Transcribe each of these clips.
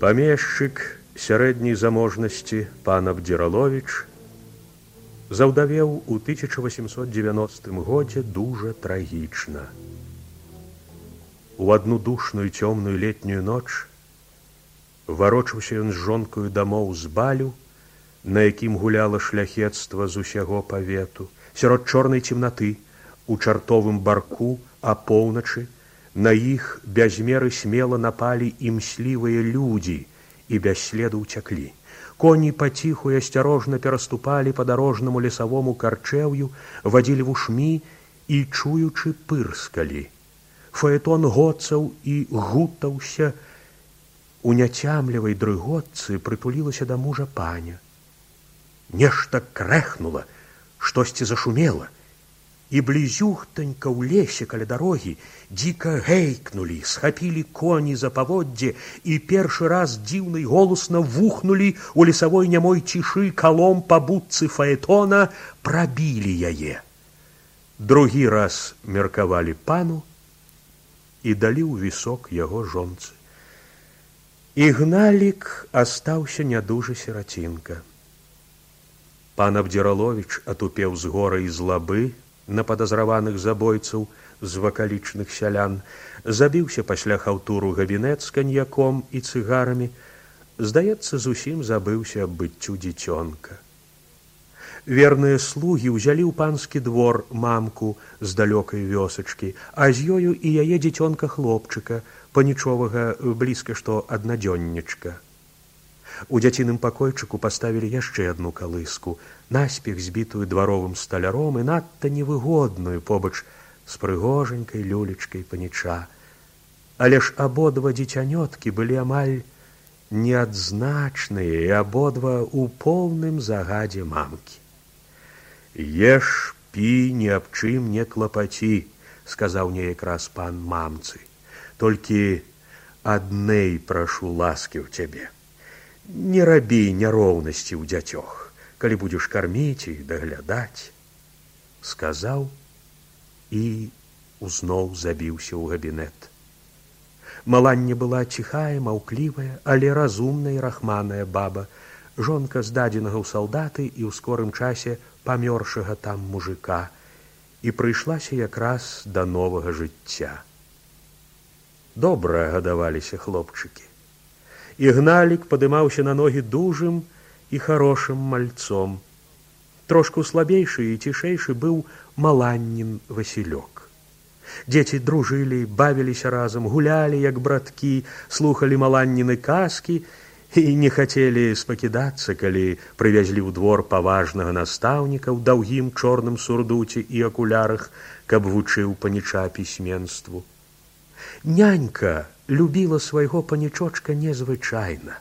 Памешчык сярэдняй заможнасці пан Абдзіраловіч заўдавеў у 1890 годзе дужа трагічна. У адну душную цёмную летнюю ноч варочаўся ён з жонкаю дамоў з балю, на якім гуляла шляхецтва з усяго павету. Сярод чорнай цемнаты, у чартовым барку, апоўначы, на іх без меры смела напалі імслівыя людзі і без следу ўцяклі. Коні паціху і асцярожна пераступалі па дарожнаму лесавому карчэўю, вадзілі вушмі і, чуючы, пырскалі. Фаэтон гоцаў і гутаўся. У няцямлівай дрыготцы прытулілася да мужа паня. Нешта крэхнула, штосьці зашумела, і блізюхтанька ў лесе каля дарогі дзіка гейкнулі, схапілі коні за паводдзе і першы раз дзіўна і голасна вухнулі у лесавой нямой цішы калом па будцы фаэтона, прабілі яе. Другі раз меркавалі пану і далі ў вісок яго жонцы. Ігналік астаўся нядужы сірацінка. Пан Абдзіраловіч атупеў з гора і злабы на падазраваных забойцаў з вакалічных сялян, забіўся пасля хаўтуру габінет з каньяком і цыгарамі, здаецца, зусім забыўся аб быццю дзіцёнка. Верныя слугі ўзялі ў панскі двор мамку з далёкай вёсачкі, а з ёю і яе дзіцёнка-хлопчыка, панічовага блізка што аднадзённічка. У дзяціным пакойчыку паставілі яшчэ адну калыску, наспех збітую дваровым сталяром і надта невыгодную побач з прыгожанькай люлечкай паніча. Але ж абодва дзіцянёткі былі амаль неадзначныя і абодва ў поўным загадзе мамкі. «Еш, пі, ні аб чым не клапаці», – сказаў неяк раз пан мамцы. «Толькі аднэй прашу ласкі ў цябе. Не рабі няроўнасці ў дзяцёх, калі будзеш карміць і даглядаць», – сказаў і зноў забіўся ў габінет. Маланне была ціхая, маўклівая, але разумная і рахманая баба, жонка здадзенага ў салдаты і ў скорым часе памёршага там мужика, і прыйшлася якраз да новага жыцця. Добра гадаваліся хлопчыкі. Ігналік падымаўся на ногі дужым і харошым мальцом. Трошку слабейшы і цішэйшы быў маланнін Васілёк. Дзеці дружылі, бавіліся разам, гулялі, як браткі, слухалі маланніны казкі і не хацелі спакідацца, калі прывязлі ў двор паважнага настаўніка ў даўгім чорным сурдуце і акулярах, каб вучыў паніча пісьменству. Нянька любіла свайго панічочка незвычайна.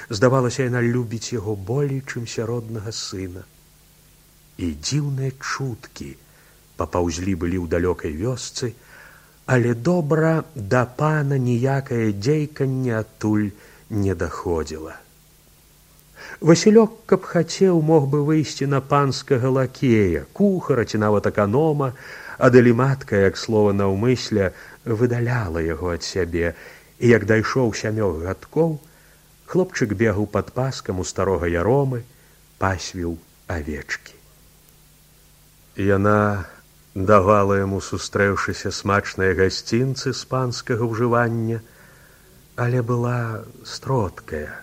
Здавалася, яна любіць яго болей, чым сяроднага сына. І дзіўныя чуткі папаўзлі былі ў далёкай вёсцы, але добра да пана ніякае дзейканне адтуль не даходзіла. Васілёк, каб хацеў, мог бы выйсці на панскага лакея, кухара ці нават аканома, адалі матка, як слова наўмысля, выдаляла яго ад сябе, і як дайшоў 7 гадкоў, хлопчык бегаў пад паскам у старога яромы, пасвіў авечкі. Яна давала яму, сустрэўшыся, смачныя гасцінцы з панскага ўжывання, але была строткая.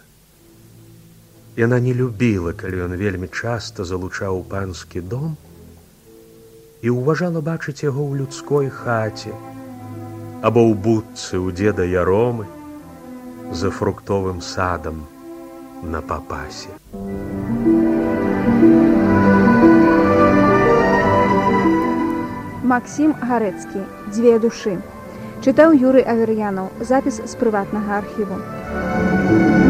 Яна не любіла, калі ён вельмі часта залучаў панскі дом, і ўважала бачыць яго ў людской хаце або ў будцы ў дзеда Яромы за фруктовым садам на Папасе. Максім Гарэцкі. «Дзве душы». Чытаў Юрый Авер'янаў. Запіс з прыватнага архіву.